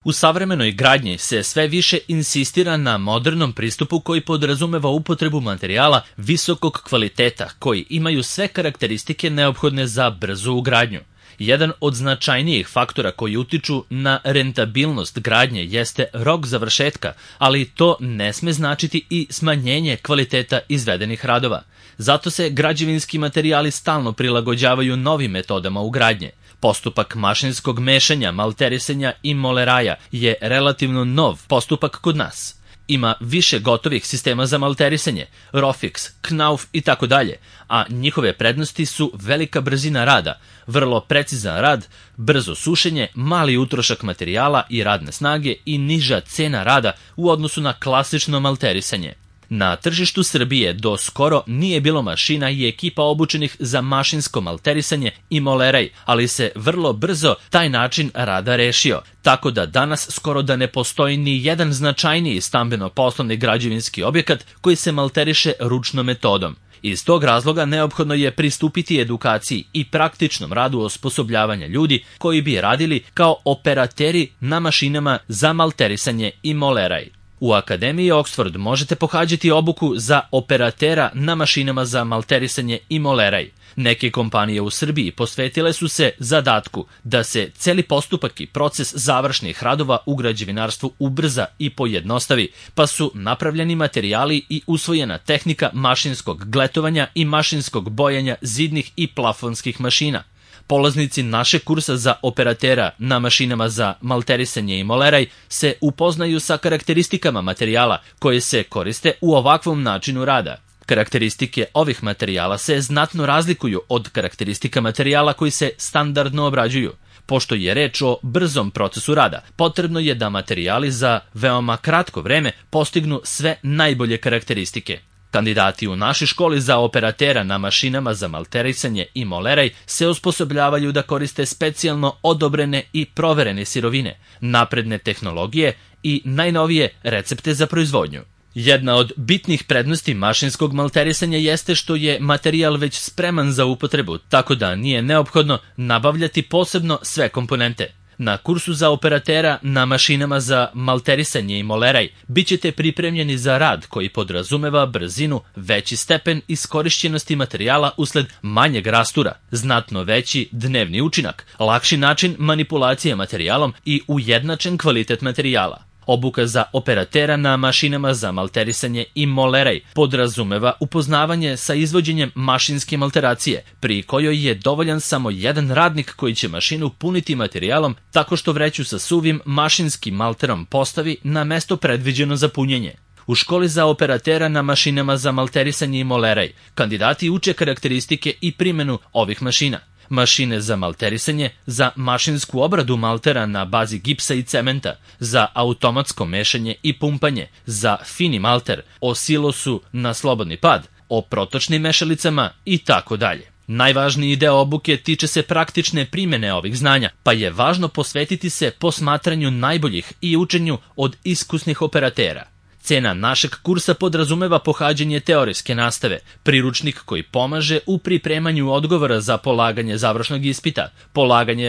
U savremenoj gradnji se sve više insistira na modernom pristupu koji podrazumeva upotrebu materijala visokog kvaliteta koji imaju sve karakteristike neophodne za brzu ugradnju. Jedan od značajnijih faktora koji utiču na rentabilnost gradnje jeste rok završetka, ali to ne sme značiti i smanjenje kvaliteta izvedenih radova. Zato se građevinski materijali stalno prilagođavaju novim metodama ugradnje. Postupak mašinskog mešanja, malterisanja i moleraja je relativno nov postupak kod nas. Ima više gotovih sistema za malterisanje, Rofix, Knauf i tako dalje, a njihove prednosti su velika brzina rada, vrlo precizan rad, brzo sušenje, mali utrošak materijala i radne snage i niža cena rada u odnosu na klasično malterisanje. Na tržištu Srbije do skoro nije bilo mašina i ekipa obučenih za mašinsko malterisanje i moleraj, ali se vrlo brzo taj način rada rešio, tako da danas skoro da ne postoji ni jedan značajniji stambeno-poslovni građevinski objekat koji se malteriše ručnom metodom. Iz tog razloga neophodno je pristupiti edukaciji i praktičnom radu osposobljavanja ljudi koji bi radili kao operateri na mašinama za malterisanje i moleraj. U Akademiji Oxford možete pohađati obuku za operatera na mašinama za malterisanje i moleraj. Neke kompanije u Srbiji posvetile su se zadatku da se celi postupak i proces završnih radova u građevinarstvu ubrza i pojednostavi, pa su napravljeni materijali i usvojena tehnika mašinskog gletovanja i mašinskog bojanja zidnih i plafonskih mašina. Polaznici našeg kursa za operatera na mašinama za malterisanje i moleraj se upoznaju sa karakteristikama materijala koje se koriste u ovakvom načinu rada. Karakteristike ovih materijala se znatno razlikuju od karakteristika materijala koji se standardno obrađuju. Pošto je reč o brzom procesu rada, potrebno je da materijali za veoma kratko vreme postignu sve najbolje karakteristike. Kandidati u našoj školi za operatera na mašinama za malterisanje i moleraj se osposobljavaju da koriste specijalno odobrene i proverene sirovine, napredne tehnologije i najnovije recepte za proizvodnju. Jedna od bitnih prednosti mašinskog malterisanja jeste što je materijal već spreman za upotrebu, tako da nije neophodno nabavljati posebno sve komponente. Na kursu za operatera na mašinama za malterisanje i moleraj bit ćete pripremljeni za rad koji podrazumeva brzinu, veći stepen iskorišćenosti materijala usled manjeg rastura, znatno veći dnevni učinak, lakši način manipulacije materijalom i ujednačen kvalitet materijala. Obuka za operatera na mašinama za malterisanje i moleraj podrazumeva upoznavanje sa izvođenjem mašinske malteracije, pri kojoj je dovoljan samo jedan radnik koji će mašinu puniti materijalom tako što vreću sa suvim mašinskim malterom postavi na mesto predviđeno za punjenje. U školi za operatera na mašinama za malterisanje i moleraj kandidati uče karakteristike i primjenu ovih mašina. Mašine za malterisanje, za mašinsku obradu maltera na bazi gipsa i cementa, za automatsko mešanje i pumpanje, za fini malter, o silosu na slobodni pad, o protočnim mešalicama i tako dalje. Najvažniji deo obuke tiče se praktične primjene ovih znanja, pa je važno posvetiti se posmatranju najboljih i učenju od iskusnih operatera. Cena našeg kursa podrazumeva pohađanje teorijske nastave, priručnik koji pomaže u pripremanju odgovora za polaganje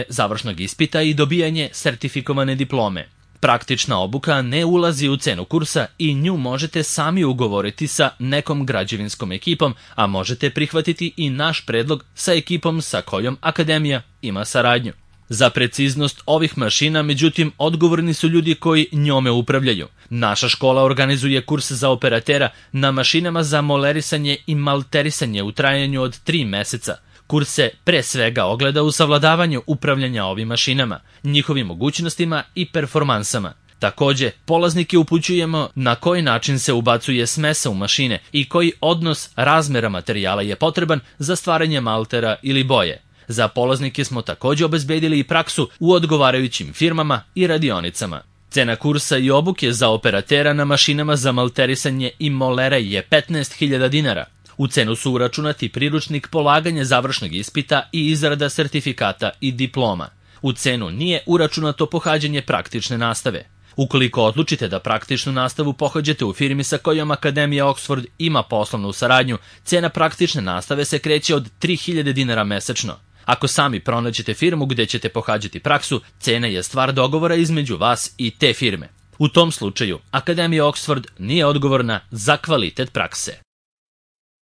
završnog ispita i dobijanje sertifikovane diplome. Praktična obuka ne ulazi u cenu kursa i nju možete sami ugovoriti sa nekom građevinskom ekipom, a možete prihvatiti i naš predlog sa ekipom sa kojom Akademija ima saradnju. Za preciznost ovih mašina, međutim, odgovorni su ljudi koji njome upravljaju. Naša škola organizuje kurs za operatera na mašinama za molerisanje i malterisanje u trajanju od 3 meseca. Kurs se pre svega ogleda u savladavanju upravljanja ovim mašinama, njihovim mogućnostima i performansama. Takođe, polaznike upućujemo na koji način se ubacuje smesa u mašine i koji odnos razmera materijala je potreban za stvaranje maltera ili boje. Za polaznike smo takođe obezbedili i praksu u odgovarajućim firmama i radionicama. Cena kursa i obuke za operatera na mašinama za malterisanje i moleraj je 15.000 dinara. U cenu su uračunati priručnik, polaganje završnog ispita i izrada sertifikata i diploma. U cenu nije uračunato pohađanje praktične nastave. Ukoliko odlučite da praktičnu nastavu pohađate u firmi sa kojom Akademija Oxford ima poslovnu saradnju, cena praktične nastave se kreće od 3.000 dinara mesečno. Ako sami pronađete firmu gde ćete pohađati praksu, cena je stvar dogovora između vas i te firme. U tom slučaju, Akademija Oxford nije odgovorna za kvalitet prakse.